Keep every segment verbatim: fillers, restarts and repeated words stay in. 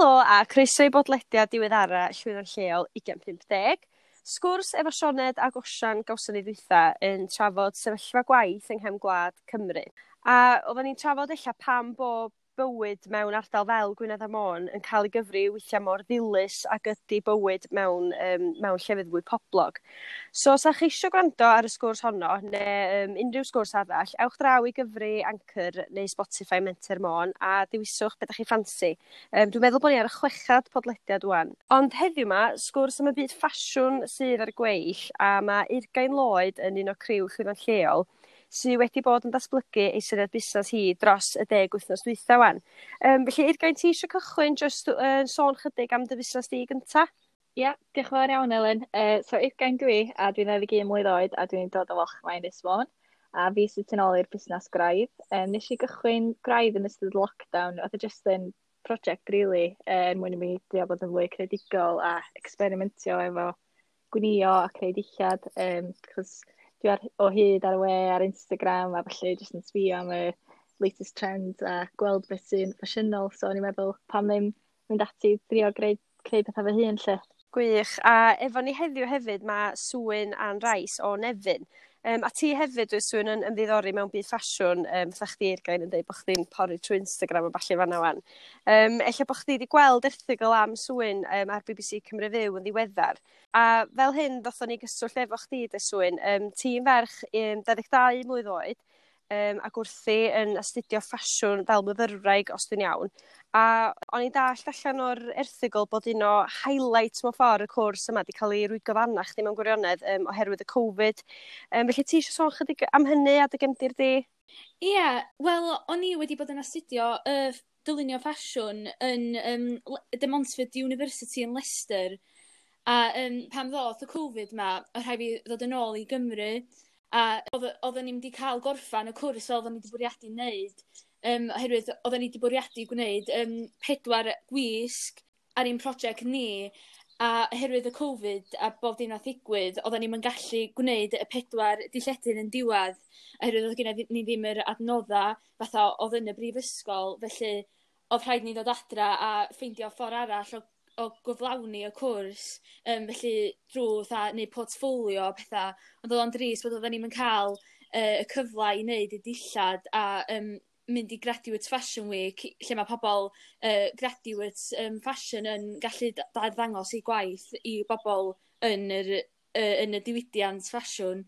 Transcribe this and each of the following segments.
Helo a croeso i bodlediad diweddara Llwyddo'n Lleol ugain pump deg. Sgwrs efo Sioned ac Osian gawson ni ddwytha yn trafod sefyllfa gwaith yng nghefn gwlad Cymru. A oedden ni'n trafod ella pam bo bywyd mewn ardal fel Gwynedd a Môn yn cael ei gyfri weithiau mor ddilys ag ydy bywyd mewn, um, mewn llefydd fwy poblog. So, os ydych chi eisiau gwrando ar y sgwrs honno, neu um, unrhyw sgwrs arall, ewch draw i gyfri Anchor neu Spotify Menter Môn a dewiswch beth ydych chi ffansi. Um, dwi'n meddwl bod ni ar y chwechad podlediad wan. Ond heddiw yma, sgwrs am y byd ffasiwn sydd ar y gweill, a mae Eurgain Lloyd yn un o criw Llwyddo'n Lleol sydd wedi bod yn datblygu ei syniad busnes hi dros y deg wythnos dwytha wan. Um, felly, Eurgain, ti eisiau cychwyn jyst uh, sôn chydig am dy fusnes di gynta? Ia, yeah, diolch yn fawr iawn, Elen. Uh, so, Eurgain dwi, a dwi'n ddau ddeg un mlwydd oed, a dwi'n dod o Walchmai Ynys Môn. A fi sydd tu ôl i'r busnes Gwraidd. Um, nes i gychwyn Gwraidd yn ystod lockdown. Oedd e just yn project, really, er mwyn i mi drio bod yn fwy creadigol a experimentio efo gwnio a creu dillad. Um, cos dwi ar, o hyd ar y we, ar Instagram a felly jyst yn sbio am y latest trends a gweld beth sy'n ffasiynol. So o'n i'n meddwl pam ddim mynd ati drio greu, creu pethau fy hun lle. Gwych. A efo ni heddiw hefyd mae Swyn Ann Rice o Nefyn. Um, a ti hefyd, dwi Swyn, yn ymddiddori mewn byd ffasiwn, um, fatha chdi Eurgain yn dweud bod chdi'n pori trwy Instagram a ballu fanna wan. Um, ella bod chdi wedi gweld erthygl am Swyn um, ar B B C Cymru Fyw yn ddiweddar. A fel hyn, ddothon ni gyswllt efo chdi, de Swyn. Um, ti'n ferch um, dau ddeg dau mlwydd oed, um, ac wrthi yn astudio ffasiwn fel myfyrwraig, os dwi'n iawn. A o'n i'n dallt allan o'r erthygl bod un o highlights mewn ffordd y cwrs yma wedi cael ei rwygo fanna chdi mewn gwirionedd um, oherwydd y Covid. Um, felly ti eisiau sôn chydig am hynny a dy gefndir di? Ie, yeah, wel, o'n i wedi bod yn astudio uh, dylunio ffasiwn yn um, De Montfort University yn Leicester. A um, pan ddoth y Covid ma, o rhaid fi ddod yn ôl i Gymru. A oedden ni'n wedi cael gorffan y cwrs fel oedden ni wedi bwriadu wneud. Um, oherwydd oedden ni wedi bwriadu gwneud um, pedwar gwisg ar ein prosiect ni. A oherwydd y Covid a bob dim nath ddigwydd, oedden ni'n gallu gwneud y pedwar dilledyn yn diwedd. Oherwydd oedd gennym ni ddim yr adnodda fatha oedd yn y brifysgol. Felly oedd rhaid ni ddod adra a ffeindio ffordd arall o, o gyflawni y cwrs. Um, felly drwy fatha neud portffolio a pethau. Ond oedd o'n drist bod oedden ni'n cael uh, y cyfle i wneud y dillad a um, mynd i Graduate Fashion Week, lle mae pobl uh, graduate um, fashion yn gallu arddangos eu gwaith i bobl yn yr, uh, yn y diwydiant ffasiwn.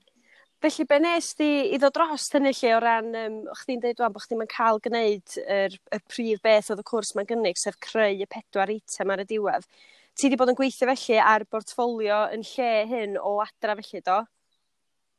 Felly, be nes di i ddod dros hynny lle o ran, um, chdi'n dweud wan bod chdi'n cael gwneud yr, y prif beth oedd y cwrs mae'n gynnig, sef creu y pedwar eitem ar y diwedd. Ti wedi bod yn gweithio felly ar bortffolio yn lle hyn o adra felly, do?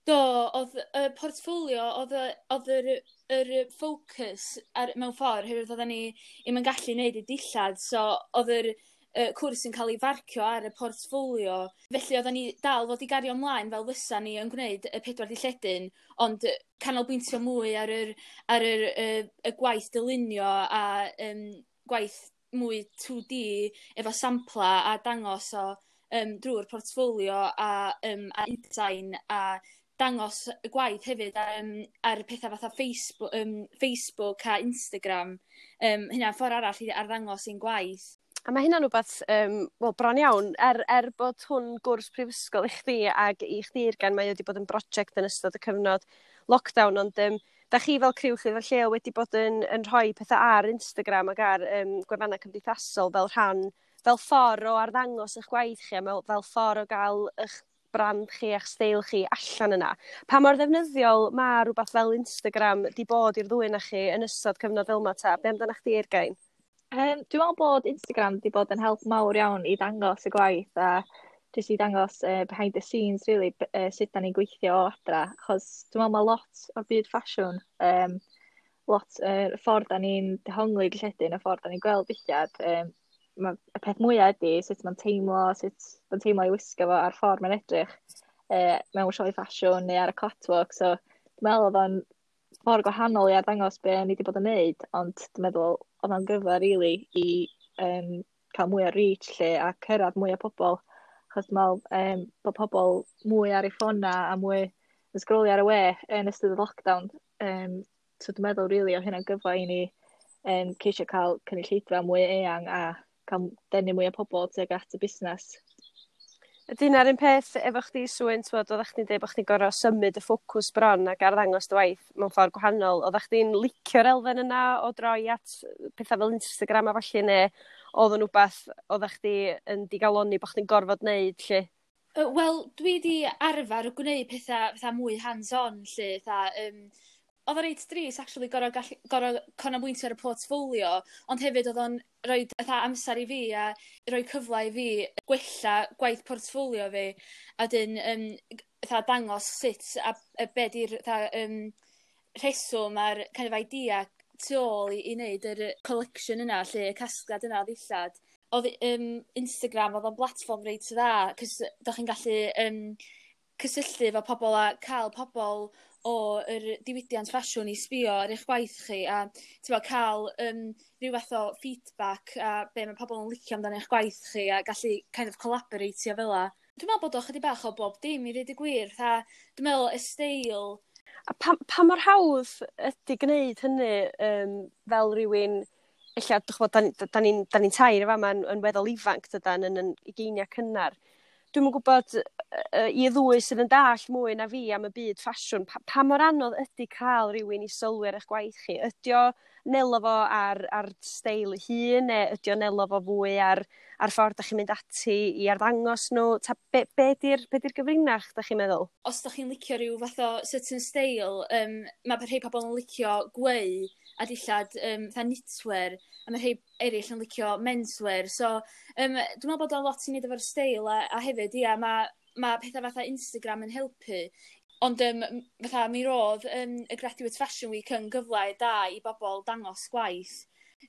Do, oedd y portffolio, oedd y, oedd yr, yr ffocws ar, mewn ffordd, oherwydd oedden ni ddim yn gallu gwneud y dillad, so oedd yr uh, cwrs yn cael ei farcio ar y portffolio. Felly oedden ni dal fod i gario ymlaen fel fysa ni yn gwneud y pedwar dilledyn, ond canolbwyntio mwy ar yr, ar yr, y, y gwaith dylunio a um, gwaith mwy two D efo sampla a dangos o um, drwy'r portffolio a, um, a InDesign a dangos y gwaith hefyd um, ar pethau fatha Facebook, um, Facebook a Instagram. Um, hynna'n ffordd arall i arddangos ein gwaith. A mae hynna'n rhywbeth, um, wel, bron iawn, er, er bod hwn gwrs prifysgol i chdi ac i chdi Eurgain, mae wedi bod yn brosiect yn ystod y cyfnod lockdown, ond um, da chi fel criw Llwyddo'n Lleol wedi bod yn, yn rhoi pethau ar Instagram ac ar um, gwefannau cymdeithasol fel rhan, fel ffordd o arddangos eich gwaith chi a fel, fel ffordd o gael eich brand chi a'ch steil chi allan yna. Pa mor ddefnyddiol mae rhywbeth fel Instagram di bod i'r ddwy na chi yn ystod cyfnod fel yma ta? Be amdano chdi, Eurgain? Um, dwi'n meddwl bod Instagram wedi bod yn help mawr iawn i dangos y gwaith a jyst i dangos uh, behind the scenes, really, uh, sut da ni'n gweithio o adra. Achos dwi'n meddwl mae lot o'r byd ffasiwn, um, lot y uh, ffordd da ni'n dehongli dilledyn, y ffordd da ni'n gweld dillad, um, ma, y peth mwyaf ydy sut mae'n teimlo, sut mae'n teimlo i wisgo fo a'r ffordd mae'n edrych uh, mewn sioe ffasiwn neu ar y catwalk. So dwi'n meddwl oedd o'n ffordd gwahanol i arddangos be ni wedi bod yn neud, ond dwi'n meddwl oedd o'n gyfle really i um, cael mwy o reach lle a cyrraedd mwy o pobl. Achos dwi'n meddwl um, bod pobl mwy ar eu ffona a mwy yn sgrolio ar y we yn ystod y lockdown. Um, so dwi'n meddwl really oedd hynna'n gyfle i ni um, ceisio cael cynulleidfa mwy eang a cael cael denu mwy o pobl tuag at y busnes. Ydy hynna'r un peth efo chdi, Swyn, t'wod, oeddech chdi'n dweud bod chdi'n gorfod symud y ffocws bron ac arddangos dy waith mewn ffordd gwahanol. Oeddech chdi'n licio'r elfen yna o droi at pethau fel Instagram a falle, neu oedd yn wbath oeddech chdi yn digalonni bod chdi'n gorfod wneud, lle? Wel, dwi di arfer gwneud pethau fatha mwy hands-on, lle, fatha, um, oedd o reit drist actually gorfod gallu gorfod canolbwyntio ar y portfolio, ond hefyd oedd o'n rhoi fatha amser i fi a rhoi cyfle i fi gwella gwaith portfolio fi, a dyn um, fatha dangos sut a, a be di'r fatha um, rheswm a'r kind of idea tu ôl i, i wneud yr collection yna, lle y casgliad yna o ddillad. Oedd um, Instagram, oedd o'n platform reit dda, cos dach chi'n gallu um, cysylltu efo pobl a cael pobl o yr diwydiant ffasiwn i sbio ar eich gwaith chi a t'bo' cael um, rhyw fath o feedback a be mae pobl yn licio amdano eich gwaith chi a gallu kind of collaboratio fel 'a. Dwi'n meddwl bod o chydig bach o bob dim i ddweud y gwir, fatha dwi'n meddwl y steil. A pa, pa mor hawdd ydy gwneud hynny um, fel rhywun, ella, dych ch'mod, da, da, da ni'n da ni tair yma yn, yn weddol ifanc, dydan, yn, yn ugeiniau cynnar. Dwi'm yn gwybod uh, i ddwy sydd yn dallt mwy na fi am y byd ffasiwn, pa, pa mor anodd ydy cael rhywun i sylwi ar eich gwaith chi? Ydy o nelo fo ar, ar steil ei hun, neu ydy o nelo fo fwy ar, ar ffordd da chi'n mynd ati i arddangos nhw? Ta, be, be di'r be di'r gyfrinach, da chi'n meddwl? Os da chi'n licio rhyw fath o certain style, um, mae rhai pobl yn licio gweu a dillad um, fatha knitwear, a mae rhai eraill yn licio menswear. So, um, dwi'n meddwl bod o lot i wneud efo'r steil, a, a hefyd, ia, mae ma pethau fatha Instagram yn helpu. Ond um, fatha mi roedd um, y Graduate Fashion Week yn gyfle da i bobl dangos gwaith.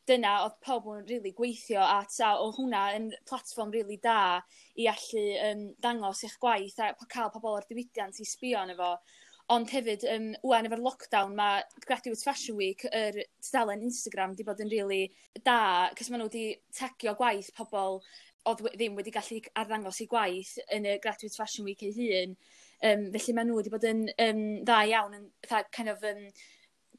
Dyna oedd pobl yn really gweithio at, a oedd hwnna yn platform really da i allu um, dangos eich gwaith a cael pobl o'r diwydiant i sbio arno fo. Ond hefyd, um, wan efo'r lockdown, mae Graduate Fashion Week, yr tudalen Instagram, di bod yn really da, cos maen nhw wedi tagio gwaith pobl oedd ddim wedi gallu arddangos eu gwaith yn y Graduate Fashion Week ei hun. Um, felly maen nhw wedi bod yn um, dda iawn yn fatha, kind of, um,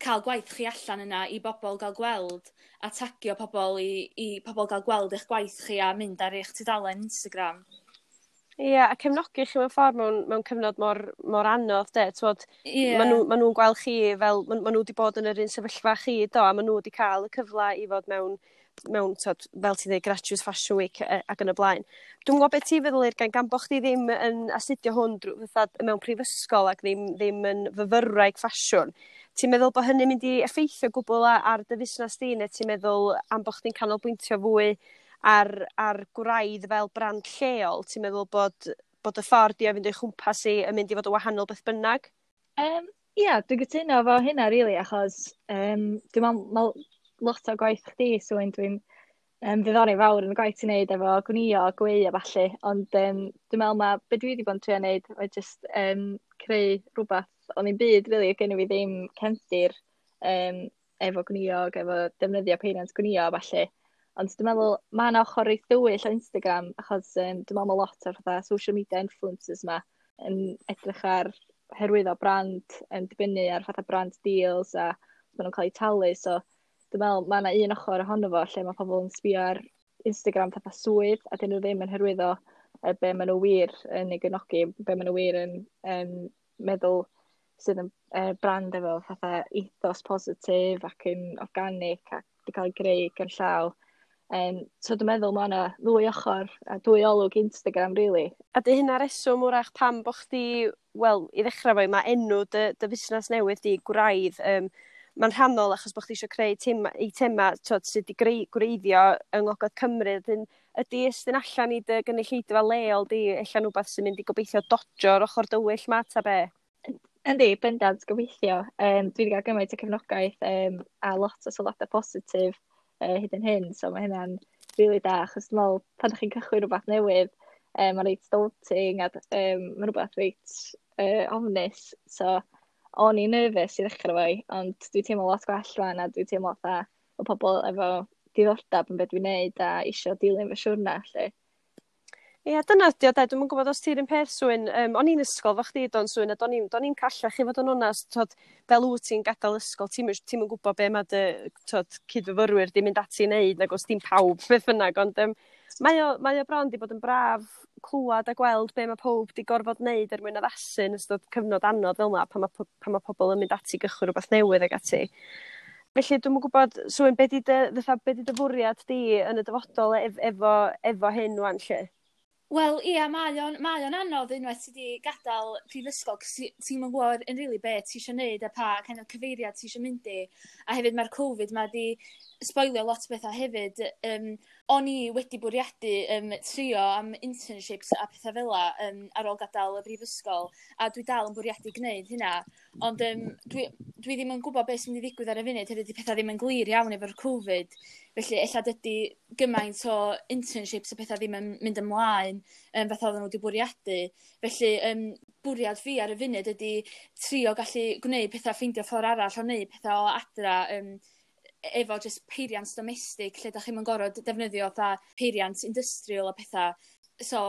cael gwaith chi allan yna i bobl gael gweld a tagio pobl i, i pobl gael gweld eich gwaith chi a mynd ar eich tudalen Instagram. Ie, yeah, a cefnogi chi mewn ffordd mewn, mewn cyfnod mor, mor anodd, de. T'wod, Ie. ma' nhw, ma nhw'n gweld chi fel, ma, ma nhw wedi bod yn yr un sefyllfa chi, do, a ma nhw wedi cael y cyfle i fod mewn, mewn t'wod, fel ti'n dweud, Graduate Fashion Week e, ac yn y blaen. Dwi'n gwybod beth ti'n feddwl, Eurgain, gan bo chdi ddim yn astudio hwn drwy, fatha, mewn prifysgol ac ddim, ddim yn fyfyrwraig ffasiwn. Ti'n meddwl bod hynny'n mynd i effeithio gwbl ar dy fusnes di, neu ti'n meddwl am bo chdi'n canolbwyntio fwy ar, ar gwraidd fel brand lleol, ti'n meddwl bod, bod y ffordd di o fynd o'i chwmpas i yn mynd i fod yn wahanol beth bynnag? Um, Ia, dwi'n gytuno efo hynna, really, achos um, dwi'n meddwl ma lot o gwaith chdi, so dwi'n um, ddiddori fawr yn y gwaith ti'n neud efo gwnio a gweu a ballu, ond um, dwi'n meddwl ma be dwi wedi bod yn trio neud oedd just um, creu rhywbeth o'n i'n byd, really, gen i fi ddim cefndir um, efo gwnio ac efo defnyddio peiriant gwnio a ballu. Ond dwi'n meddwl mae yna ochr reit dywyll o Instagram, achos um, dwi'n meddwl mae lot o'r fatha social media influencers ma yn edrych ar hyrwyddo brand, yn dibynnu ar fatha brand deals a maen nhw'n cael eu talu, so dwi'n meddwl mae yna un ochr ohono fo lle mae pobl yn sbio ar Instagram fatha swydd a dyn nhw ddim yn hyrwyddo uh, be maen nhw wir yn ei gefnogi, be maen nhw wir yn, yn meddwl sydd yn uh, brand efo fatha ethos positif ac yn organic ac wedi cael ei greu gan llaw. Um, so dwi'n meddwl mae yna ddwy ochr a dwy olwg Instagram, really. A dy hynna reswm wrach pam bo chdi, wel, i ddechrau fo, mae enw dy, dy fusnes newydd di Gwraidd, um, mae'n rhannol achos bo chdi eisiau creu tim, eitema t'wod, sydd wedi greu, gwreiddio yng Ngogledd Cymru. Dyn, ydy estyn allan i dy gynulleidfa leol di, ella rhywbeth sy'n mynd i gobeithio dodjo'r ochr dywyll ma, ta be? Yndi, bendant, gobeithio. Um, dwi wedi cael gymaint o cefnogaeth um, a lot o sylwadau positif uh, hyd yn hyn, so mae hynna'n really da, achos dwi'n meddwl pan ydych chi'n cychwyn rhywbeth newydd, um, mae'n reit daunting a um, mae'n rhywbeth reit uh, ofnus, so o'n i'n nervous i ddechrau fo, ond dwi'n teimlo lot gwell rwan a dwi'n teimlo fatha o pobl efo diddordeb yn beth dwi'n neud a isio dilyn fy siwrna, lle. Ie, dyna ydi o de, dwi'm yn gwybod os ti'r un peth Swyn, um, o'n i'n ysgol efo chdi do'n Swyn, a do'n i'n do'n i'n callach i fod yn onast, t'od, fel wyt ti'n gadael ysgol, ti'm ti'm yn gwybod be mae dy t'od, cydfyfyrwyr di mynd ati i wneud, nag os dim pawb, beth bynnag, ond um, mae o, mae o bron di bod yn braf clywed a gweld be mae pawb di gorfod wneud er mwyn addasu yn ystod cyfnod anodd fel 'na, pan mae, pan mae pobl yn mynd ati i gychwyn rhywbeth newydd ag ati. Felly dwi'm yn gwybod, Swyn, be di dy, fatha, be di dy fwriad di yn y dyfodol ef, efo, efo hyn wan lle? Wel, ia, mae o'n, mae o'n anodd unwaith ti wedi gadael prifysgol, cos ti'n yn gwybod yn really be ti eisiau neud a pa kind of cyfeiriad ti eisiau mynd i. A hefyd mae'r Covid ma di sboilio lot o bethau hefyd. Um, o'n i wedi bwriadu um, trio am internships a pethau fel 'a um, ar ôl gadael y brifysgol, a dwi dal yn bwriadu gwneud hynna. Ond um, dwi, dwi ddim yn gwybod beth sy'n mynd i ddigwydd ar y funud, hefyd di pethau ddim yn glir iawn efo'r Covid. Felly ella dydy gymaint o internships a pethau ddim yn mynd ymlaen um, fatha oedden nhw wedi bwriadu. Felly um, bwriad fi ar y funud ydy trio gallu gwneud pethau, ffeindio ffordd arall o wneud pethau o adra um, efo just peiriant domestig lle da chi'm yn gorfod defnyddio fatha peiriant industrial a pethau. So,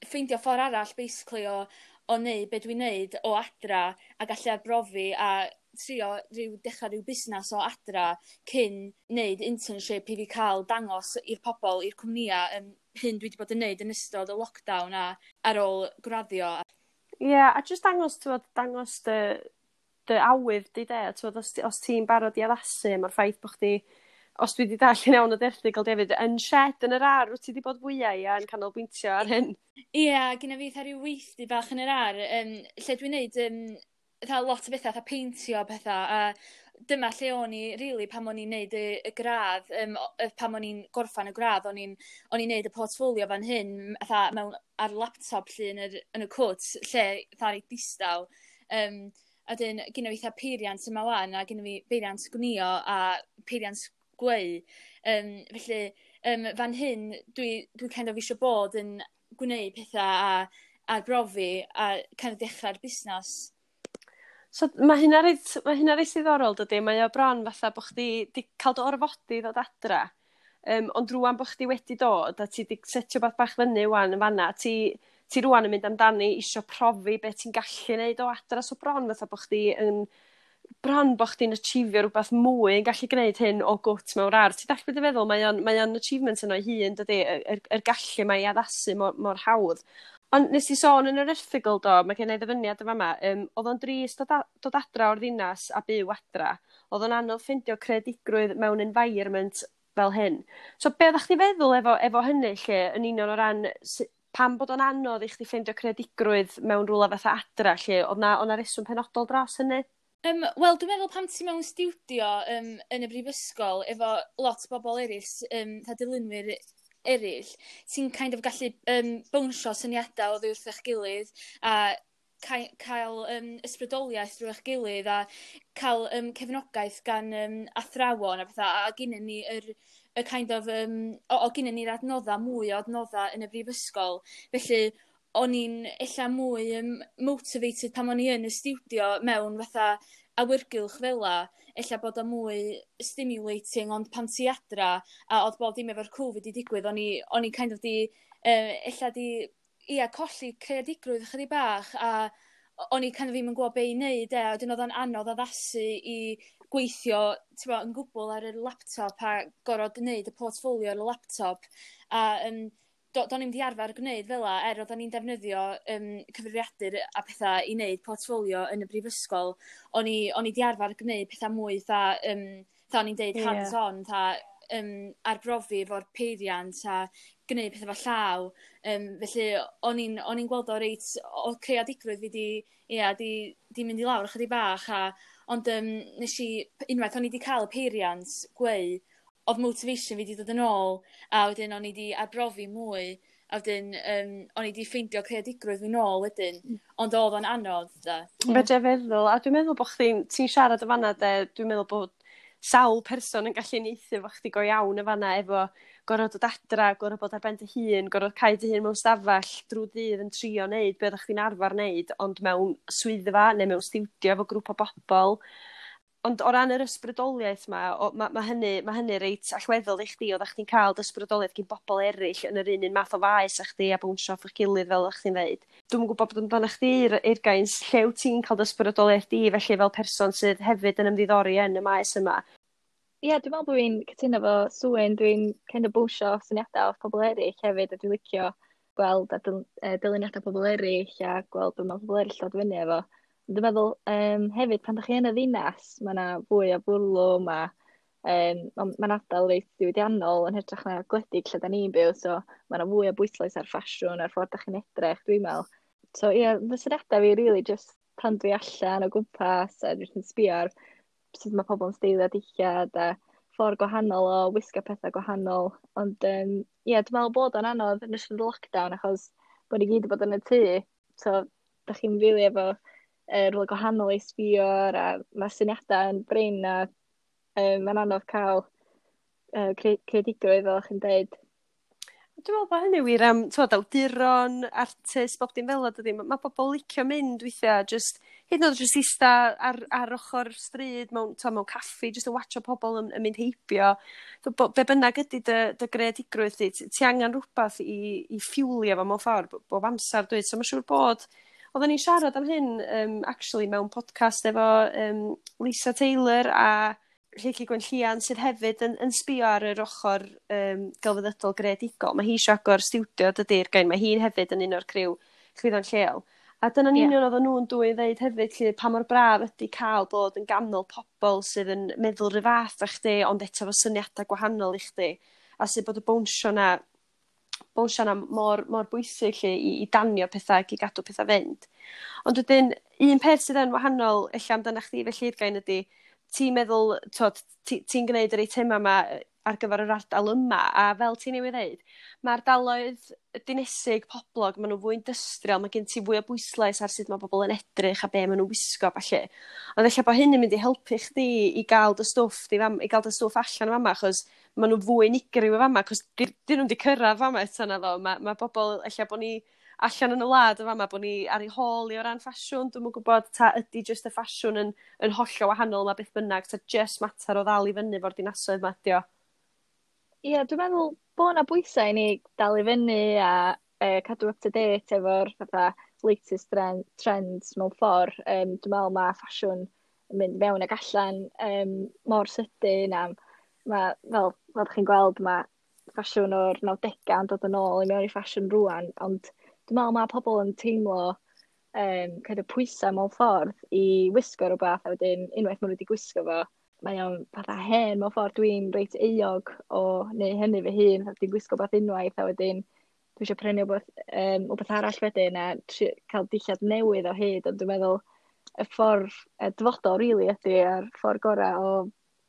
ffeindio ffordd arall basically o, o wneud be dwi'n neud o adra a gallu arbrofi a trio rhyw dechrau rhyw busnes o adra cyn wneud internship i fi cael dangos i'r pobl, i'r cwmnïau um, hyn dwi wedi bod yn neud yn ystod y lockdown a ar ôl graddio. Ie, yeah, a jyst dangos, t'wod, dangos dy, dy awydd di de, t'wod, os, os ti'n barod i addasu, mae'r ffaith bod chdi, os dwi wedi darllen iawn o erthygl David, yn shed yn yr ardd, wyt ti wedi bod fwyaf ia, yn canolbwyntio ar hyn? Ie, yeah, gyda fi fatha rhyw weithdy bach yn yr ardd, um, lle dwi'n neud um, fatha lot o bethau, fatha peintio pethau, a dyma lle o'n i, really, pan o'n i'n neud y, y gradd, um, pan o'n i'n gorffan y gradd, o'n i'n o'n i'n neud y portfolio fan hyn, fatha mewn, ar laptop lle yn, yr, yn y cwt, lle fatha reit distaw. Um, a dyn, gynna fi fatha peiriant yma wan, a gynna fi beiriant gwnio a peiriant gweu. Um, felly, um, fan hyn, dwi, dwi kind of eisiau bod yn gwneud pethau a arbrofi a kind of dechrau'r busnes. So mae hynna reit, mae hynna reit ddiddorol dydy, mae o bron fatha bod chdi di cael dy orfodi i ddod adra. Um, ond rwan bod chdi wedi dod a ti di setio beth bach fyny wan yn fanna, ti, ti rwan yn mynd amdani isio profi beth ti'n gallu neud o adra, so bron fatha bod chdi yn bron bod chdi'n achievio rhywbeth mwy yn gallu gwneud hyn o gwt mewn ardd. Ti'n dallt beth dwi'n feddwl? Mae o'n, mae o'n achievement yno ei hun, dydy, yr, yr, yr gallu mae i addasu mor, mor hawdd. Ond nes i sôn yn yr erthygl do, mae gen i ddyfyniad yn fama, um, oedd o'n drist dod, dod adra o'r ddinas a byw adra. Oedd o'n anodd ffeindio creadigrwydd mewn environment fel hyn. So be oeddech chdi feddwl efo, efo hynny lle, yn union o ran pam bod o'n anodd i chdi ffeindio creadigrwydd mewn rhywle fatha adra lle, oedd na, oedd na reswm penodol dros hynny? Um, Wel, dwi'n meddwl pan ti mewn stiwdio um, yn y brifysgol efo lot o bobl eraill, um, fatha dylunwyr eraill, ti'n kind of gallu um, bownsio syniadau oddi wrth eich gilydd a cael um, ysbrydoliaeth drwy eich gilydd a cael um, cefnogaeth gan um, athrawon a pethau, a gynnon ni yr, y kind of, um, o, o gynnon ni'r adnoddau, mwy o adnoddau yn y brifysgol. Felly, o'n i'n ella mwy um, motivated pan o'n i yn y stiwdio mewn fatha awyrgylch fel 'a, ella bod o mwy stimulating, ond pan ti adra, a oedd bob dim efo'r Covid i digwydd, o'n i, o'n i kind of di, uh, ella di, ia, colli creadigrwydd ychydig bach, a o'n i kind of ddim yn gwybod be i wneud, e, a wedyn oedd o'n anodd addasu i gweithio bo, yn gwbl ar y laptop a gorfod wneud y portfolio ar y laptop. A um, do, do'n i'm di arfer gwneud fel 'a, er oedden ni'n defnyddio um, cyfrifiadur a pethau i wneud portfolio yn y brifysgol, o'n i, o'n i di arfer gwneud pethau mwy fatha, um, fatha o'n i'n deud yeah. hands-on, fatha um, arbrofi efo'r peiriant a gwneud pethau efo llaw. Um, felly o'n i'n o'n i'n gweld o reit, o creadigrwydd fi di, ia, di, di mynd i lawr ychydig bach. A, ond um, nes i, unwaith o'n i di cael y peiriant gweu, oedd motivation fi di dod yn ôl, a wedyn o'n i di arbrofi mwy, a wedyn um, o'n i di ffeindio creadigrwydd fi nôl wedyn, ond oedd o'n anodd, da. Fedra i feddwl, a dwi'n meddwl bod chdi'n, ti'n siarad y fanna, de, dwi'n meddwl bod sawl person yn gallu uniaethu efo chdi go iawn y fanna, efo gorfod dod adra, gorfod bod ar ben dy hun, gorfod cau dy hun mewn stafell drwy ddydd yn trio neud be oeddech chdi'n arfer neud, ond mewn swyddfa neu mewn stiwdio efo grŵp o bobl. Ond o ran yr ysbrydoliaeth 'ma, o, ma, ma hynny, ma hynny reit allweddol i chdi, oeddach chdi'n cael dy ysbrydoliaeth gyn bobl eraill yn yr un un math o faes a chdi a bownsio off eich gilydd fel o'ch chdi'n dweud. Dwi'm yn gwybod bod amdano chdi, Eurgain, lle wyt ti'n cael dy ysbrydoliaeth di felly fel person sydd hefyd yn ymddiddori yn y maes yma? Ie, yeah, dwi'n meddwl bod fi'n cytuno efo Swyn. Dwi'n kind of bownsio syniadau off pobl eraill hefyd, a dwi'n licio gweld a dyl, dyluniadau pobl eraill a gweld beth mae pobl eraill dod fyny efo. Dwi'n meddwl um, hefyd pan ydych chi yn y ddinas, mae yna fwy o fwrlwm a um, mae'n ardal reit diwydiannol yn hytrach na gwledig lle da ni'n byw, so mae yna fwy o bwyslais ar ffasiwn a'r ffordd da chi'n edrych, dwi'n meddwl. So ie, yeah, fy syniadau fi really just pan dwi allan o gwmpas a dwi'n sbio ar sut mae pobl yn steilio dillad a ffordd gwahanol o wisgo pethau gwahanol. Ond um, ie, yeah, dwi'n meddwl bod o'n anodd yn ystod y lockdown achos bod ni gyd wedi bod yn y tŷ. So, da chi'n rili efo uh, rhywle gwahanol i sbio ar, a mae syniadau yn brin a um, mae'n anodd cael uh, creadigrwydd fel chi'n dweud. Dwi'n meddwl bod hynny wir am, t'wod, awduron, artist, bob dim fel 'na, dydi? Mae ma pobl licio mynd weithiau, just, hyd yn oed jyst ista ar, ar ochr stryd mewn, t'wo, mewn caffi, jyst yn watcho pobl yn, yn mynd heibio. So, bo, be bynnag ydy dy, dy greadigrwydd di, ti, ti angen rhywbeth i, i ffiwlio fo mewn ffordd, bob amser dweud. So mae'n siŵr bod, oedden ni'n siarad am hyn um, actually mewn podcast efo um, Lisa Taylor a Lleucu Gwenllian sydd hefyd yn, yn sbio ar yr ochr um, gelfyddydol greadigol. Mae hi eisiau agor stiwdio, dydy'r gain. Mae hi'n hefyd yn un o'r criw Chwyddo'n Lleol. A dyna'n yeah. union oedden nhw'n dwy ddeud hefyd, lle pa mor braf ydy cael bod yn ganol pobl sydd yn meddwl rhyw fath â chdi, ond eto fo syniadau gwahanol i chdi. A sydd bod y bownsio na, bownsio na mor, mor bwysig lle i, i danio pethau ac i gadw pethau fynd. Ond wedyn, un peth sydd yn wahanol ella amdano chdi felly Eurgain ydy, ti'n meddwl, t'wod, ti'n ti gwneud yr eitemau yma ar gyfer yr ardal yma, a fel ti'n newydd ddeud, mae ardaloedd dinesig poblog, maen nhw fwy industrial, mae gen ti fwy o bwyslais ar sut mae bobl yn edrych a be maen nhw'n wisgo, falle. Ond ella bod hyn yn mynd i helpu chdi i gael dy stwff, di fam, i gael dy stwff allan o fama, achos maen nhw fwy unigryw o fama, achos dyn nhw'n di cyrraedd fama eto na ddo. Mae ma bobl, ella bod ni allan yn y wlad o fama, bod ni ar ei hôl i o ran ffasiwn, dwi'm yn gwybod ta ydy jyst y ffasiwn yn, yn hollol wahanol ma beth bynnag, ta jyst mater o ddal i fyny fo'r dinasoedd ma ydi o. Ie, yeah, dwi'n meddwl bod yna bwysau i ni dal i fyny a uh, cadw up to date efo'r fatha latest trend, trends mewn ffordd. Um, dwi'n meddwl mae ffasiwn yn mynd mewn ag allan um, mor sydyn a ma, fel, fel chi'n gweld mae ffasiwn o'r nawdegau yn dod yn ôl i mewn i ffasiwn rwan, ond dwi'n meddwl mae pobl yn teimlo um, kind of pwysau mewn ffordd i wisgo rhywbeth a wedyn unwaith maen nhw wedi gwisgo fo, mae o'n fatha hen mewn ffordd. Dwi'n reit euog o neu hynny fy hun, dwi'n gwisgo beth unwaith a wedyn dwi eisiau prynu wbeth, um, wbeth arall wedyn a tri, cael dillad newydd o hyd, ond dwi'n meddwl y ffordd y dyfodol really ydy a'r ffordd gorau o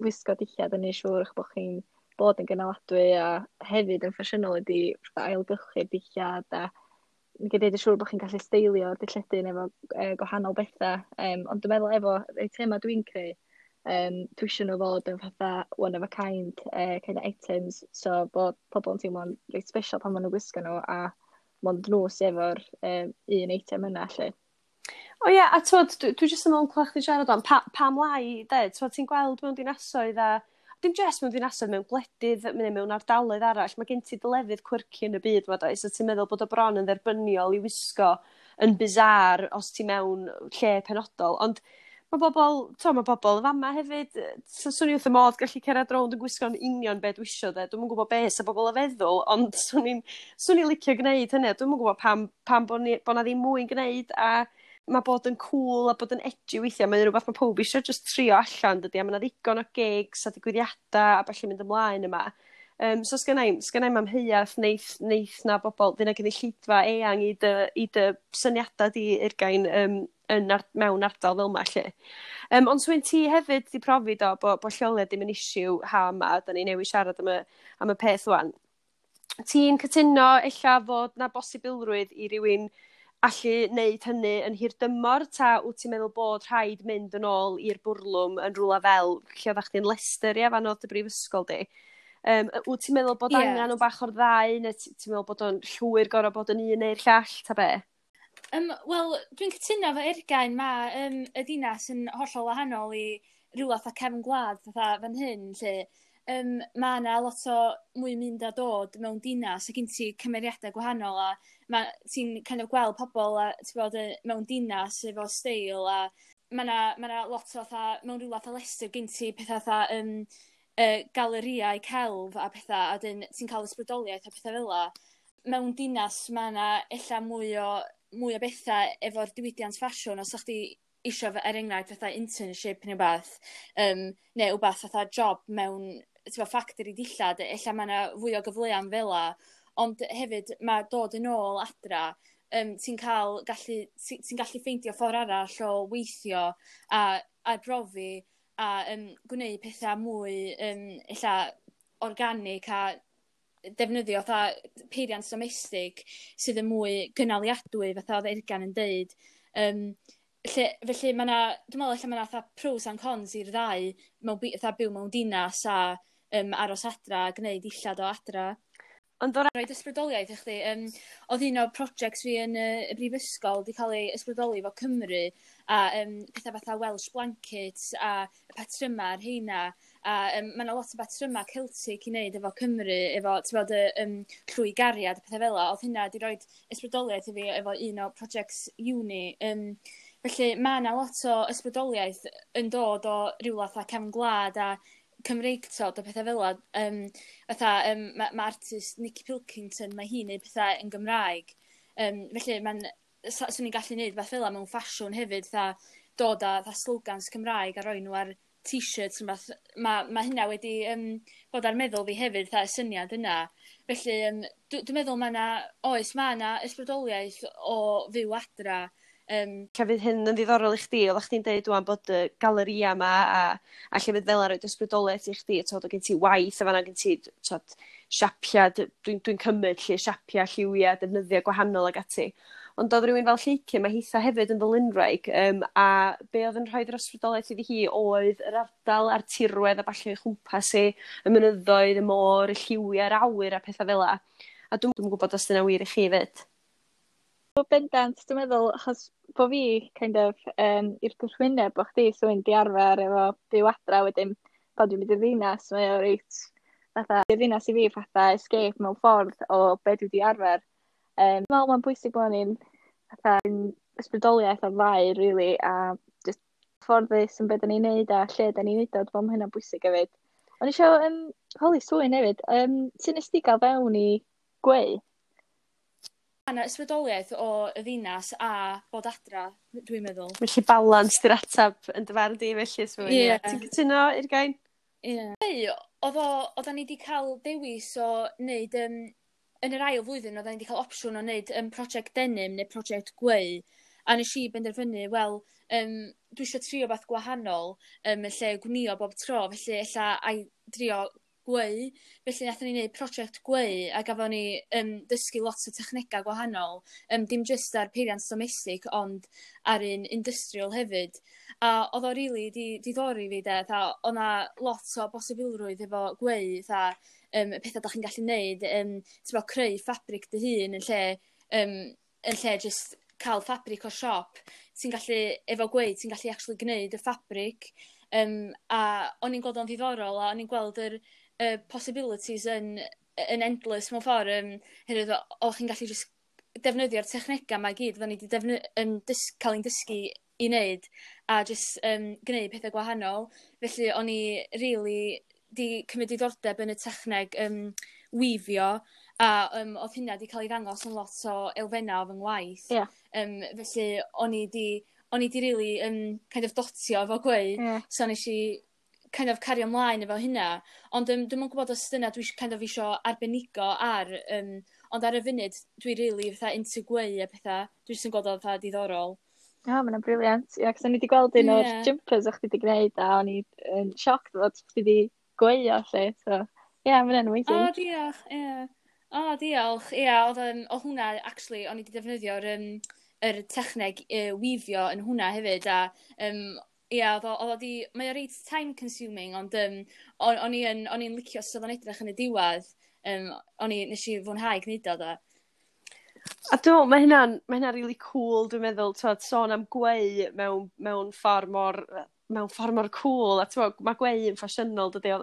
wisgo dillad yn neud siŵr eich bod chi'n bod yn gynaladwy a hefyd yn ffasiynol ydy fatha ailgylchu'r dillad a gwneud yn siŵr bod chi'n gallu steilio'r dilledyn efo e, gwahanol bethau. Um, ond dwi'n meddwl efo y thema dwi'n creu, um, dwi eisiau nhw fod yn fatha one of a kind, uh, kind of items, so bod pobl yn teimlo'n reit special pan maen nhw'n gwisgo nhw a mond nhw sydd efo'r um, un eitem yna, lle. O ie, a twod, dwi, dwi jyst yn meddwl clywed chdi siarad am, pa, pam lai, de, twod, ti'n gweld mewn dinasoedd a dim jyst mewn dinasoedd, mewn gwledydd, neu mewn ardaloedd arall, mae gen ti dy lefydd quirky yn y byd, ma does, so ti'n meddwl bod o bron yn dderbyniol i wisgo yn bizarre os ti mewn lle penodol, ond mae bobl, to, mae bobl yn fama hefyd, so swn i wrth y modd gallu cerdded rownd yn gwisgo'n union be dwi isio, de. Dwi'm yn gwybod be sa bobl yn feddwl, ond swn i'n swn i'n licio gwneud hynny. Dwi'm yn gwybod pam, pam bod, ni, bod na ddim mwy'n gwneud, a mae bod yn cool a bod yn edgy weithiau, mae'n rhywbeth mae pob eisiau just trio allan, dydy, a mae yna ddigon o gigs a digwyddiadau a ballu mynd ymlaen yma. Um, so sgynna i'm, sgynna i'm amheuaeth neith, neith na bobl, fydd 'na gynulleidfa eang i dy, i dy syniadau di Eurgain um, yn ar, mewn ardal fel yma, lle. Um, ond Swyn, ti hefyd di profi do bod bo lleoliad ddim yn issue ha yma, da ni newydd siarad am y, am y peth wan. Ti'n cytuno ella fod na bosibilrwydd i rywun allu wneud hynny yn hirdymor, ta wyt ti'n meddwl bod rhaid mynd yn ôl i'r bwrlwm yn rhywle fel lle oeddach chdi'n Leicester, ia, fan oedd dy brifysgol di? Um, wyt ti'n meddwl bod yeah. angen o bach o'r ddau, neu ti'n meddwl bod o'n llwyr gorfod bod yn un neu'r llall, ta be? Um, Wel, dwi'n cytuno efo Eurgain, mae um, y dinas yn hollol wahanol i rhywle fatha cefn gwlad fatha fan hyn, lle um, mae yna lot o mwy mynd a dod mewn dinas, a gen ti cymeriadau gwahanol, a ma, ti'n kind of gweld pobl a, ti'n bod, mewn dinas efo steil, a mae yna ma 'na lot o fatha, mewn rhywle fatha Leicester, gen ti pethau fatha um, uh, galeriau celf a pethau, a dyn ti'n cael ysbrydoliaeth a pethau fel 'la. Mewn dinas mae yna ella mwy o, mwy o bethau efo'r diwydiant ffasiwn, os ydych chdi isio, er enghraifft, fatha internship neu beth, um, neu wbath fatha job mewn, ti'n gwbod, factory dillad, ella mae yna fwy o gyfleon fel 'la, ond hefyd mae dod yn ôl adra, um, ti'n cael gallu, ti'n ti gallu ffeindio ffordd arall o weithio a arbrofi a um, gwneud pethau mwy um, ella organic a defnyddio fatha peiriant domestig sydd yn mwy gynaliadwy, fatha oedd Eurgain yn deud. Um, lle, felly mae 'na, dwi'n meddwl ella mae 'na fatha pros and cons i'r ddau, mewn, fatha byw mewn dinas a um, aros adra a gwneud dillad o adra. Ond o Roed ysbrydoliaeth i chdi, um, oedd un o'r projects fi yn y, y brifysgol wedi cael ei ysbrydoli efo Cymru a um, pethau fatha Welsh blankets a y patryma ar heina, a um, mae yna lot o batryma Celtic i wneud efo Cymru, efo, ti'n bod, y um, llwy gariad a pethau fel 'la. Oedd hynna wedi rhoi ysbrydoliaeth i fi efo un o projects uni. Um, felly mae yna lot o ysbrydoliaeth yn dod o rywle fatha cefn gwlad a Cymreictod a pethau fel 'la. Um, fatha, um, mae ma artist Nicky Pilkington, mae hi'n neud pethau yn Gymraeg. Um, felly mae'n, swn i'n gallu neud fath fel 'la mewn ffasiwn hefyd, fatha dod â fatha slogans Cymraeg a roi nhw ar t-shirts. Mae ma hynna wedi um, bod ar meddwl fi hefyd, fatha y syniad yna. Felly um, dwi'n dwi meddwl mae yna, oes, mae yna ysbrydoliaeth o fyw adra. Um, Lle fydd hyn yn ddiddorol i chdi, oeddech chdi'n deud dwan bod y galeria yma a, a llefydd fel 'na roed ysbrydoliaeth i chdi, t'od, o gen ti waith a fan'na gen ti, t'od, siapia, dwi'n dwi cymryd lle siapia, lliwia, defnyddiau gwahanol ag ati. Ond oedd rhywun fel Lleucu, mae hitha hefyd yn ddylunwraig, um, a be oedd yn rhoi'r ysbrydoliaeth iddi hi oedd yr ardal a'r tirwedd a ballu o'i chwmpas hi, y mynyddoedd, y môr, y lliwiau, yr awyr a pethau fel 'la. A dwi'm yn gwybod os dyna wir i chi 'fyd. O bendant, dwi'n meddwl, achos bo fi kind of um, i'r gwrthwyneb o chdi, so yn di arfer efo byw adra, wedyn pan dwi'n mynd i'r ddinas, mae o reit, fatha, y ddinas i fi fatha escape mewn ffordd o be dwi di arfer. Um, dwi'n meddwl mae'n bwysig bod ni'n fatha ysbrydoliaeth o'r ddau, really, a just fforddus yn beth da ni'n neud a lle da ni'n neud o, dwi'n meddwl ma' hynna'n bwysig hefyd. O'n i isio um, holi Swyn hefyd, um, sut nes di gael fewn i gweu? Yna ysbrydoliaeth o y ddinas a bod adra, dwi'n meddwl. Felly balans di'r atab yn dy farn di felly, Swyn. Ie. Ti'n cytuno, Eurgain? Ie. Yeah. Oedd o, oeddan ni wedi cael dewis o wneud, um, yn yr ail flwyddyn, oeddan ni wedi cael opsiwn o wneud um, project denim neu project gweu. A nes i benderfynu, wel, um, dwi eisiau trio beth gwahanol um, yn lle gwnio bob tro, felly ella ai drio gweu. Felly nathon ni wneud prosiect gweu a gafon ni um, dysgu lot o technegau gwahanol. Um, dim jyst ar peiriant domestig, ond ar un industrial hefyd. A oedd o rili di diddori fi de, tha, oedd 'na lot o bosibilrwydd efo gweu, tha, um, y pethau da chi'n gallu neud, um, ti'n bod, creu ffabric dy hun yn lle, um, yn lle just cael ffabric o siop. Ti'n gallu, efo gweu, ti'n gallu actually gwneud y ffabric. Um, a o'n i'n gweld o'n ddiddorol, a o'n i'n gweld yr y possibilities yn, yn endless mewn ffordd. Um, herwydd o chi'n gallu just defnyddio'r technegau 'ma i gyd, oedden ni wedi defny um, dys cael ein dysgu i wneud, a just um, gwneud pethau gwahanol. Felly o'n i really di cymryd diddordeb yn y techneg um, weavio, a um, oedd hynna di cael ei ddangos yn lot o elfennau o fy ngwaith. Ie. Um, felly o'n i di, o'n i di really um, kind of dotio efo gweu. Ie. So nes i kind of cario ymlaen efo hynna. Ond um, dwi'm yn gwybod os dyna dwi kind of isio arbenigo ar, um, ond ar y funud dwi really fatha into gweu a pethau. Dwi jyst yn gweld o fatha diddorol. O, oh, mae'n brilliant. Ie, cos o'n i wedi gweld un o'r Ie. jumpers o'ch chdi wedi gwneud a o'n i yn shocked fod chdi wedi gweu o lle. So, ie, yeah, mae'n O, amazing. oh, diolch, ie. Yeah. O, oh, diolch. Ie, yeah, oedd, um, oedd hwnna, actually, o'n i wedi defnyddio'r um, yr techneg uh, weavio yn hwnna hefyd, a um, ie, oedd o, oedd o di, mae o reit time consuming, ond um, o'n, o'n i yn, o'n i'n licio sut oedd o'n edrych yn y diwedd, um, o'n i, nes i fwynhau gwneud o da. A dwi'n meddwl, mae hynna'n mae hynna'n really cool, dwi'n meddwl, twod, sôn am gweu mewn, mewn ffordd mor mewn ffordd mor cool, a twod, mae gweu yn ffasiynol, dydy.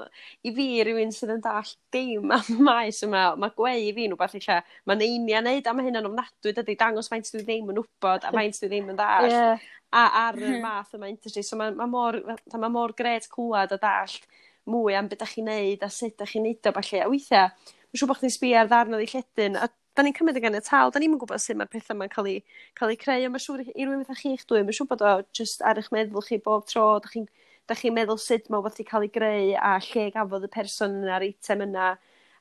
I fi, rhywun sydd yn dallt dim am y maes yma, mae gweu i fi'n rhywbeth eich mae neinia neud, a mae hynna'n ofnadwy, dydy, dangos faint dwi ddim yn wybod, a faint dwi ddim yn dallt. Yeah. A ar y math yma industry, so mae, mae mor, mae mor gret clywed a dallt mwy am beth ydych chi'n neud a sut ydych chi'n neud o, falle. A weithiau, mae'n siŵr bod chdi'n sbio ar ddarn o ddilledyn, a da ni'n cymryd yn ganiataol, da ni'n gwybod sut mae'r pethau yma'n cael ei, cael ei creu, ond mae'n siŵr i rywun fatha chi'ch dwy, mae'n siŵr bod o just ar eich meddwl chi bob tro, da chi'n da chi meddwl sut mae wbeth 'di cael ei greu a lle gafodd y person yna'r eitem yna.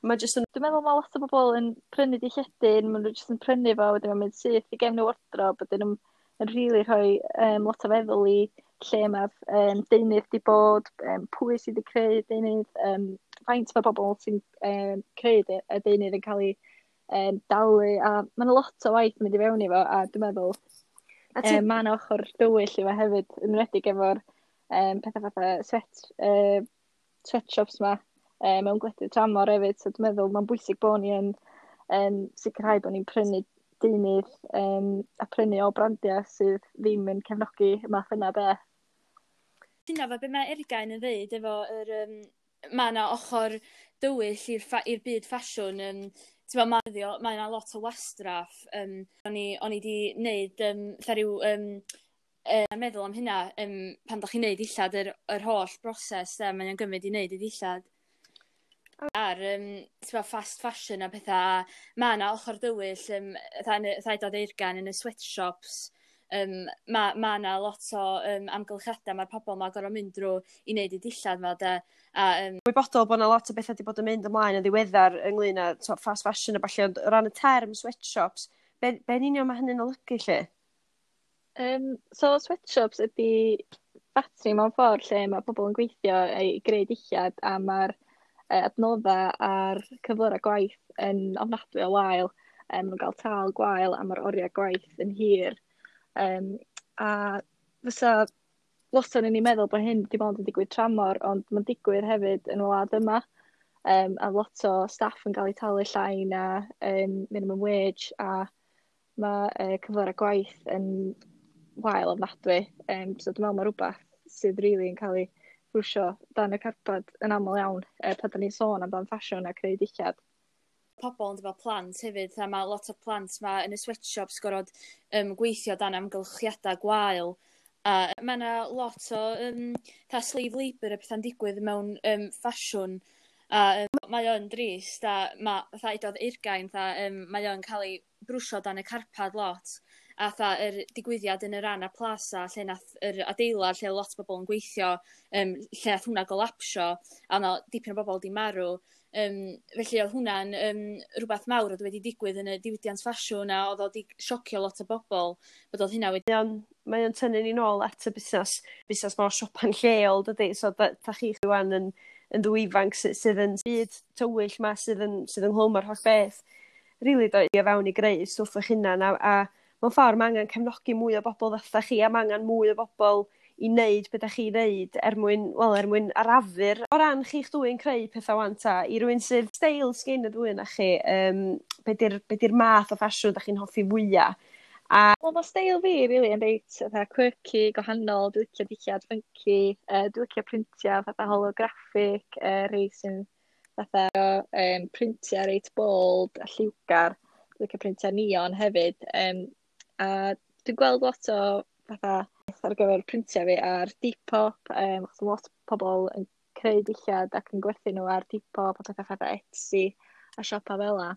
Mae jyst yn... Dwi'n meddwl mae lot o bobl yn prynu dilledyn, maen nhw jyst yn prynu fo, wedyn mae'n mynd syth i gefn y wardrobe, wedyn nhw'n yn rili rhoi um, lot o feddwl i lle mae'r um, deunydd di bod, um, pwy sydd wedi creu deunydd, um, faint mae bobl sy'n um, creu y deunydd yn cael ei um, dalu, a mae'n lot o waith yn mynd i fewn i fo, a dwi'n meddwl ti... um, mae yna ochr dywyll i fo hefyd, yn enwedig efo'r um, pethau fatha sweat, uh, sweatshops ma um, mewn gwledydd tramor hefyd, so dwi'n meddwl mae'n bwysig bod ni yn um, sicrhau bod ni'n prynu deunydd um, a prynu o brandiau sydd ddim yn cefnogi y math yna beth. Dyna fo be mae Eurgain yn ddeud efo yr, um, mae yna ochr dywyll i'r, i'r byd ffasiwn. Um, Ti'n mae mae yna lot o wastraff. Um, o'n i, o'n i di wneud um, fatha rhyw um, uh, meddwl am hynna um, pan da chi'n neud dillad, yr, yr holl broses um, mae'n gymryd i wneud i ddillad. Ar um, ti'n fast fashion a pethau, mae yna ochr dywyll, um, fatha dod Eurgain yn y sweatshops, um, mae ma yna lot o um, amgylchiadau mae'r pobl ma gorfod mynd drwy i wneud eu dillad ma, de. A, um... Wybodol bod yna lot o bethau wedi bod yn mynd ymlaen yn ddiweddar ynglyn â to, fast fashion a ballu, ond o ran y term sweatshops, be, be yn union mae hynny'n olygu lle? Um, so sweatshops ydy ffatri mewn ffordd lle mae pobl yn gweithio i greu dillad, a mae'r adnoddau a'r cyflyrau gwaith yn ofnadwy o wael. Um, maen nhw'n cael tâl gwael a mae'r oriau gwaith yn hir. Um, a fysa lot o'n i'n meddwl bod hyn dim ond yn digwydd tramor, ond mae'n digwydd hefyd yn y wlad yma. Um, a lot o staff yn cael eu talu llai na um, minimum wage, a mae uh, cyflyrau gwaith yn wael ofnadwy. Um, so dwi'n meddwl mae rhywbeth sydd rili really yn cael ei brwsio dan y carpad yn aml iawn uh, pan da ni'n sôn amdan ffasiwn a creu dillad. Pobl yn efo plant hefyd, a mae lot o plant ma yn y sweatshops gorfod um, gweithio dan amgylchiadau gwael. A mae yna lot o um, tha slave labour a pethau'n digwydd mewn um, ffasiwn. A um, mae o'n drist, a mae, fatha udodd Eurgain, fatha, um, mae o'n cael ei brwsio dan y carpad lot. A fatha yr digwyddiad yn y Rana Plaza, lle nath yr adeilad lle lot o bobl yn gweithio, um, lle nath hwnna golapsio, a yna dipyn o bobl di marw. Um, felly oedd hwnna'n um, rhywbeth mawr oedd wedi digwydd yn y diwydiant ffasiwn, a oedd o wedi siocio lot o bobl bod oedd hynna wedi... Mae o'n, mae o'n tynnu ni nôl at y busnes, busnes mor siopa'n lleol, dydy? So da, da chi rwan yn, yn ddwy ifanc sydd, sydd yn byd tywyll ma, sydd yn, sydd ynghlwm â'r holl beth. Rili dod i fewn i greu stwff eich hunan, a, a mewn ffordd mae angen cefnogi mwy o bobl fatha chi, a mae angen mwy o bobl i wneud beth ydych chi'n wneud er mwyn, wel, er mwyn arafu'r. O ran chi'ch dwy'n creu pethau wan ta, i rywun sydd steil sgyn y ddwy yna chi, um, be di'r be di'r math o ffasiwn ydych chi'n hoffi fwyaf? A Wel, mae steil fi, really, yn reit fatha quirky, gwahanol. Dwi'n licio dillad funky, uh, dwi'n licio printiau fatha holographic, uh, rei sy'n fatha um, printiau reit bold a lliwgar. Dwi'n licio printiau neon hefyd. Um, a dwi'n gweld lot o fatha ar gyfer printiau fi ar Depop, um, achos mae lot o pobl yn creu dillad ac yn gwerthu nhw ar Depop a pethau fatha Etsy a siopa fel 'na.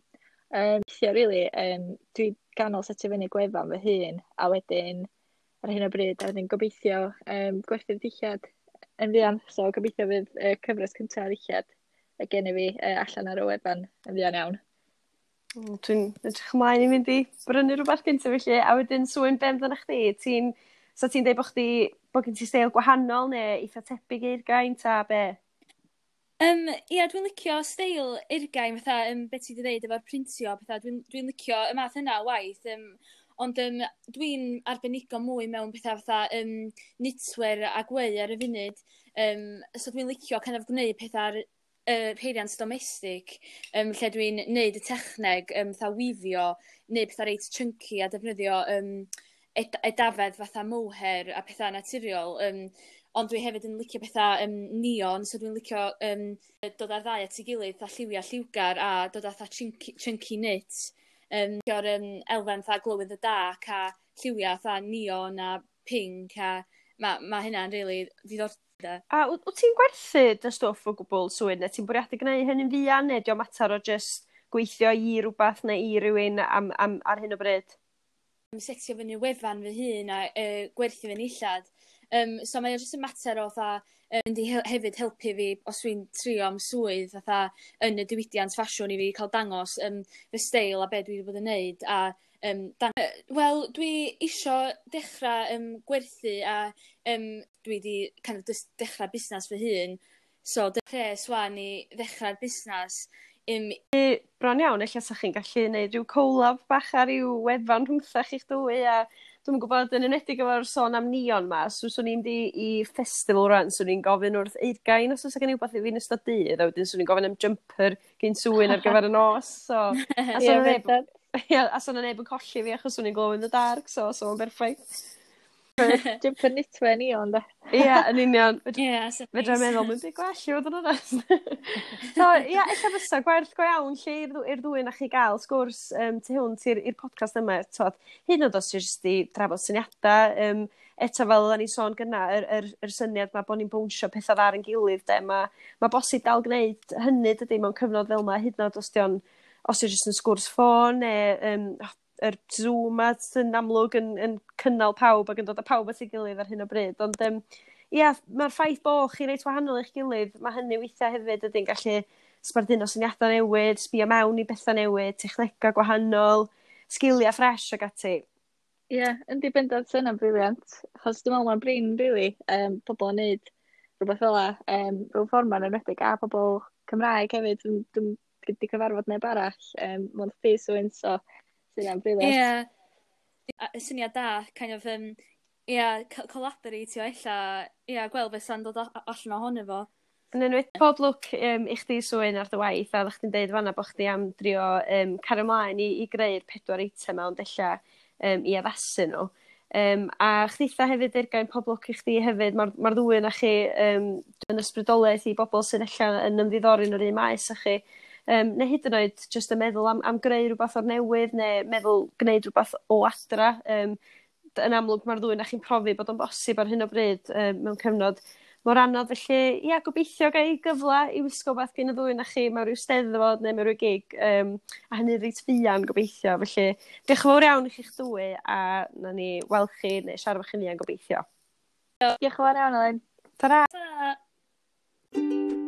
Um, weithio, really, um, dwi ganol setio fyny gwefan fy hun, a wedyn ar hyn o bryd, a wedyn gobeithio um, gwerthu'r dillad yn fuan. So gobeithio fydd y uh, cyfres cyntaf o ddillad y gen i fi uh, allan ar y wefan yn fuan iawn. Mm, Dwi'n edrych ymlaen i fynd i brynu rhywbeth gyntaf felly, a wedyn Swyn, be amdano chdi? Ti'n, so ti'n deud bod chdi, bod gen ti steil gwahanol neu eitha tebyg i'r Eurgain ta be? Um, ia, dwi'n licio steil Eurgain, fatha, um, beth ti wedi dweud efo'r printio, pethau, dwi'n dwi licio y math yna o waith, um, ond um, dwi'n arbenigo mwy mewn pethau fatha um, knitwear a gweu ar y funud, um, so dwi'n licio kind of gwneud pethau ar, uh, peiriant domestig, um, lle dwi'n neud y techneg, um, fatha weavio, neud pethau reit chunky a defnyddio um, ed edafedd fatha mohair a pethau naturiol. Um, ond dwi hefyd yn licio pethau um, neon, so dwi'n licio um, dod ar ddau at ei gilydd, fatha lliwiau lliwgar a dod â fatha chunky, chunky knit. Um, licio'r um, elfen fatha glow in the dark a lliwiau fatha neon a pink a mae ma hynna'n really diddordeb. A wyt wyt ti'n gwerthu dy stwff o gwbl, Swyn, neu ti'n bwriadu gwneud hynny'n fuan, neu 'di o'n mater o just gweithio i rhywbeth neu i rywun am, am, ar hyn o bryd? Setio fyny wefan fy hun a uh, gwerthu fy nillad. Um, so mae o jyst yn mater o fatha, yy, mynd i hel hefyd helpu fi os dwi'n trio am swydd fatha yn y diwydiant ffasiwn i fi cael dangos um, fy steil a be dwi wedi bod yn neud a um, dang- wel, dwi isio dechrau um, gwerthu a um, dwi wedi kind of dechrau busnes fy hun. So, pres wan i ddechrau'r busnes. Um, Bron iawn, ella sa chi'n gallu gwneud rhyw collab bach ar ryw wefan rhwngtha chi'ch dwy, a dwi'm yn gwybod, yn enwedig efo'r sôn am neon ma, so swn i'n mynd i, i festival rwan, swn i'n gofyn wrth Eurgain os oes gen i wbeth i fi yn ystod dydd, a wedyn swn i'n gofyn am jumper gyn Swyn ar gyfer y nos, so... A Ie, so neb, bendant. ia, a so neb yn colli fi achos swn i'n glow in the dark, so so mae'n berffaith. Jumper knitwear neon, de. Ie, yn union. Ie, yeah, Fedra i meddwl, mae'n byd gwell i fod yn onest. So, ia, ella fysa gwerth go iawn lle i'r ddw- i'r ddwy na chi gael sgwrs um, tu hwnt i'r i'r podcast yma. Twod, hyd yn oed os ti'n jyst i drafod syniadau, um, eto fel oedden ni'n sôn gynna, yr, yr, yr syniad ma bod ni'n bownsio pethau ar ein gilydd, de, mae ma bosib dal gwneud hynny, dydy, mewn cyfnod fel yma, hyd yn oed os di o'n, os di jyst yn sgwrs ffôn, neu um, yr Zoom ma sy'n amlwg yn, yn cynnal pawb ac yn dod â pawb at ei gilydd ar hyn o bryd. Ond um, ia, mae'r ffaith bo chi reit wahanol i'ch gilydd, mae hynny weithiau hefyd ydy'n gallu sbarduno syniadau newydd, sbio mewn i bethau newydd, technegau gwahanol, sgiliau ffres ac ati. Ie, yeah, yndi, bendant, sy'n yna'n brilliant. Achos dwi'n meddwl mae'n brin, really, um, pobl yn neud rhywbeth fel 'a, um, rhyw ffordd ma'n enwedig, a pobl Cymraeg hefyd, dwi'n dwi wedi cyfarfod neb arall, um, mewn face so sy'n yna'n brilliant. Ie. A- Syniad da, kind of, um, ie, collaboratio ella, ie, gweld beth sy'n dod a- allan ohono fo. Yn enwedig, pob lwc um, i chdi, Swyn, ar dy waith, a oeddech chdi'n deud fanna bod chdi am drio um, cario ymlaen i, i greu'r pedwar eitem 'ma, ond ella um, i addasu nhw. Um, a chditha hefyd, Eurgain, pob lwc i chdi hefyd. Mae'r ma ddwy yna chi um, yn ysbrydoliaeth i bobl sydd ella yn ymddiddori yn yr un maes â chi. Um, neu hyd yn oed jyst yn meddwl am, am greu rhywbeth o'r newydd, neu meddwl gwneud rhywbeth o adra. Um, yn amlwg mae'r ddwy na chi'n profi bod o'n bosib ar hyn o bryd um, mewn cyfnod mor anodd. Felly, ia, gobeithio gael gyfle i wisgo beth gen y ddwy na chi mewn rhyw steddfod neu mewn rhyw gig, um, a hynny reit fuan gobeithio. Felly, diolch yn fawr iawn i chi'ch dwy, a na ni weld chi neu siarad efo chi'n fuan gobeithio. Diolch yn fawr iawn, Elin. Ta-ra! Ta!